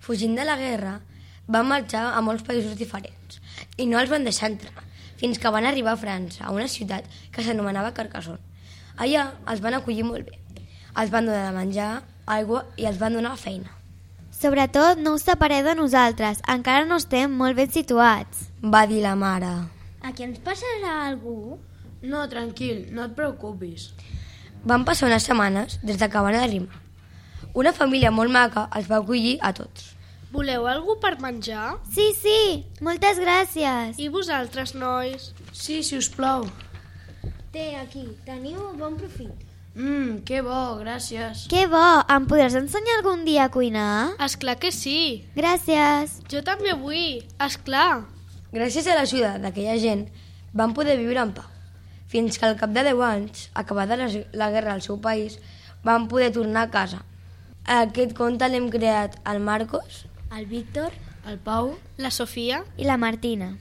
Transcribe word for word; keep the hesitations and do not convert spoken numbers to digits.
Fugint de la guerra, van marxar a molts països diferents i no els van deixar entrar, fins que van arribar a França, a una ciutat que s'anomenava Carcassonne. Allà els van acollir molt bé. Els van donar de menjar, aigua i els van donar feina. Sobretot no us separeu de nosaltres, encara no estem molt ben situats, va dir la mare. Aquí ens passarà algú? No, tranquil, no et preocupis. Van passar unes setmanes des de que van arribar. Una família molt maca els va acollir a tots. Voleu algú per menjar? Sí, sí, moltes gràcies. I vosaltres, nois? Sí, si us plau. Té, aquí, teniu bon profit. Mmm, que bo, gràcies. Que bo, em podràs ensenyar algun dia a cuinar? Esclar que sí. Gràcies. Jo també vull, esclar. Gràcies a l'ajuda d'aquella gent, van poder viure en pau. Fins que al cap de deu anys, acabada la, la guerra al seu país, van poder tornar a casa. A aquest conte l'hem creat el Marcos, El Víctor, El Pau La Sofia I la Martina.